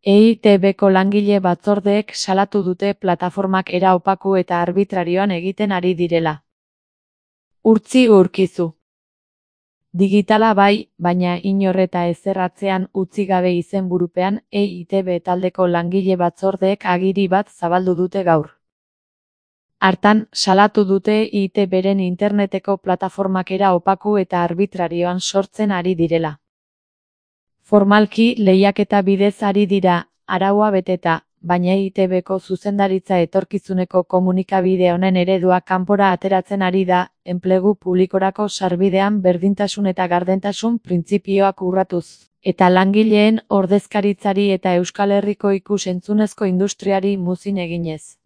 EITB-ko langile batzordeek salatu dute plataformak era opaku eta arbitrarioan egiten ari direla. Urtzi Urkizu. Digitala bai, baina inor eta ezer atzean utzi gabe izenburupean EITB taldeko langile batzordeek agiri bat zabaldu dute gaur. Hartan, salatu dute EITB-ren interneteko plataformak era opaku eta arbitrarioan sortzen ari direla. Formalki lehiaketa bidez ari dira, araua beteta, baina EITB-ko zuzendaritza etorkizuneko komunikabide honen eredua kanpora ateratzen ari da, enplegu publikorako sarbidean berdintasun eta gardentasun printzipioak urratuz, eta langileen ordezkaritzari eta Euskal Herriko ikus-entzunezko industriari muzin eginez.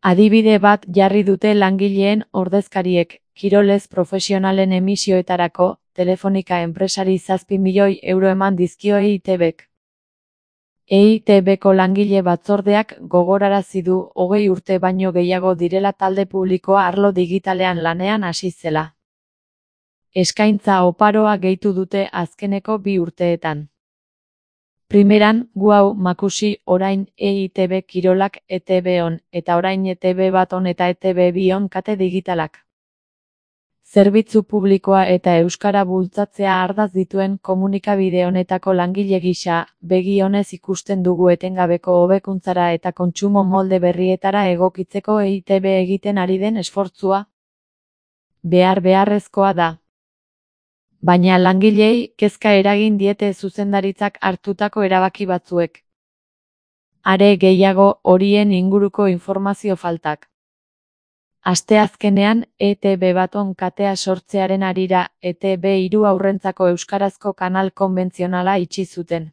Adibide bat jarri dute langileen ordezkariek, kirolez profesionalen emisioetarako, Telefonika enpresari 7 milioi euro eman dizkio EITB-k. EITB-ko langile batzordeak gogorarazi du 20 urte baino gehiago direla talde publikoa arlo digitalean lanean hasi zela. Eskaintza oparoa gehitu dute azkeneko 2 urteetan. Primeran, gu hau Makusi, orain EITB Kirolak ETB on, eta orain ETB bat on eta ETB bi on kate digitalak. Zerbitzu publikoa eta euskara bultzatzea ardatz dituen komunikabide honetako langile gisa, begi onez ikusten dugu etengabeko hobekuntzara eta kontsumo molde berrietara egokitzeko EITB egiten ari den esfortzua. Beharrezkoa da. Baina langilei kezka eragin diete zuzendaritzak hartutako erabaki batzuek. Are gehiago horien inguruko informazio faltak. Asteazkenean, ETB baton katea sortzearen harira, ETB 3 haurrentzako euskarazko kanal konbentzionala itxi zuten.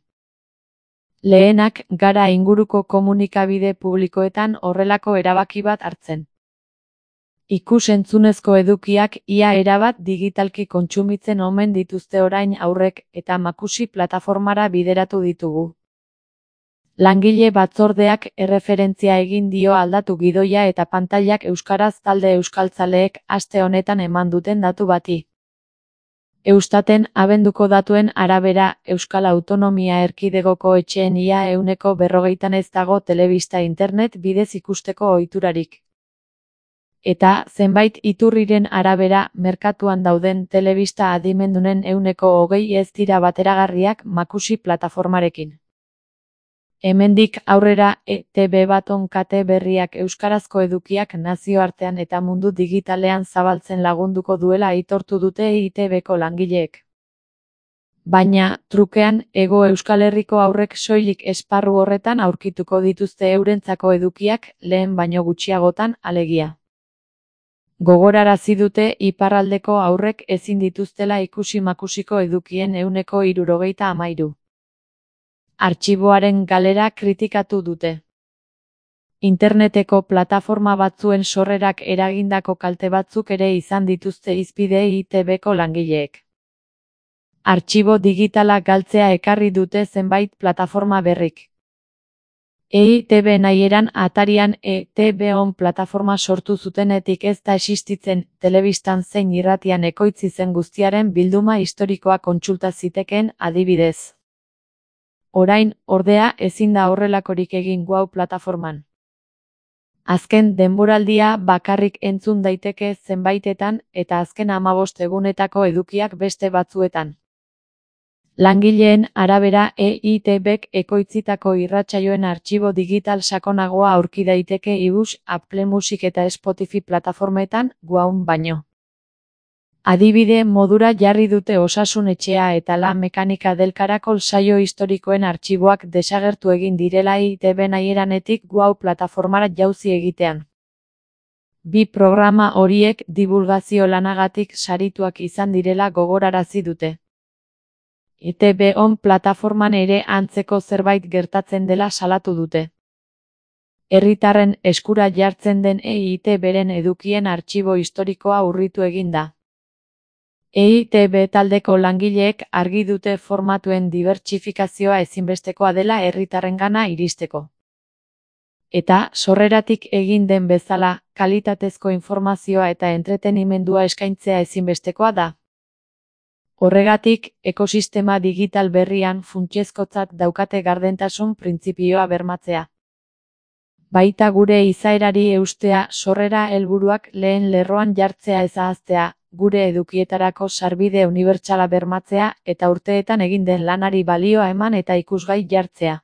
Lehenak gara inguruko komunikabide publikoetan horrelako erabaki bat hartzen. Ikus-entzunezko edukiak ia erabat digitalki kontsumitzen omen dituzte orain aurrek eta Makusi plataformara bideratu ditugu. Langile batzordeak erreferentzia egin dio aldatu gidoia eta pantailak euskaraz talde euskaltzaleek aste honetan eman duten datu bati. Eustaten abenduko datuen arabera, Euskal Autonomia Erkidegoko etxeen ia 40%an ez dago telebista internet bidez ikusteko ohiturarik. Eta, zenbait iturriren arabera, merkatuan dauden telebista adimendunen 20% ez dira bateragarriak Makusi plataformarekin. Hemendik aurrera, ETB baton kate berriak euskarazko edukiak nazioartean eta mundu digitalean zabaltzen lagunduko duela aitortu dute EITB-ko langileek. Baina, trukean, Hego Euskal Herriko haurrek soilik esparru horretan aurkituko dituzte eurentzako edukiak, lehen baino gutxiagotan, alegia. Gogorarazi dute iparraldeko haurrek ezin dituztela ikusi Makusiko edukien 73%. Artxiboaren galera kritikatu dute. Interneteko plataforma batzuen sorrerak eragindako kalte batzuk ere izan dituzte hizpide EITB-ko langileek. Artxibo digitala galtzea ekarri dute zenbait plataforma berrik. EITB nahieran atarian ETB on plataforma sortu zutenetik ez da existitzen, telebistan zein irratian ekoitzi zen guztiaren bilduma historikoa kontsulta zitekeen adibidez. Orain, ordea, ezin da horrelakorik egin hau plataforman. Azken denboraldia bakarrik entzun daiteke zenbaitetan eta azken 15 egunetako edukiak beste batzuetan. Langileen arabera EITB-k ekoitzitako irratsaioen artxibo digital sakonagoa aurki daiteke iBus, Apple Music eta Spotify plataformetan, guaun baino. Adibide modura jarri dute Osasun Etxea eta La Mekanika del Caracol saio historikoen artxiboak desagertu egin direla EITB nahieranetik guau plataformara jauzi egitean. 2 programa horiek dibulgazio lanagatik sarituak izan direla gogorarazi dute. ETB on plataforman ere antzeko zerbait gertatzen dela salatu dute. Herritarren eskura jartzen den EITB-ren edukien artxibo historikoa urritu egin da. EITB taldeko langileek argi dute formatuen dibertsifikazioa ezinbestekoa dela herritarrengana iristeko. Eta, sorreratik egin den bezala, kalitatezko informazioa eta entretenimendua eskaintzea ezinbestekoa da. Horregatik, ekosistema digital berrian funtsezkotzat daukate gardentasun printzipioa bermatzea. Baita gure izaerari eustea, sorrera helburuak lehen lerroan jartzea ez ahaztea, gure edukietarako sarbide unibertsala bermatzea eta urteetan egin den lanari balioa eman eta ikusgai jartzea.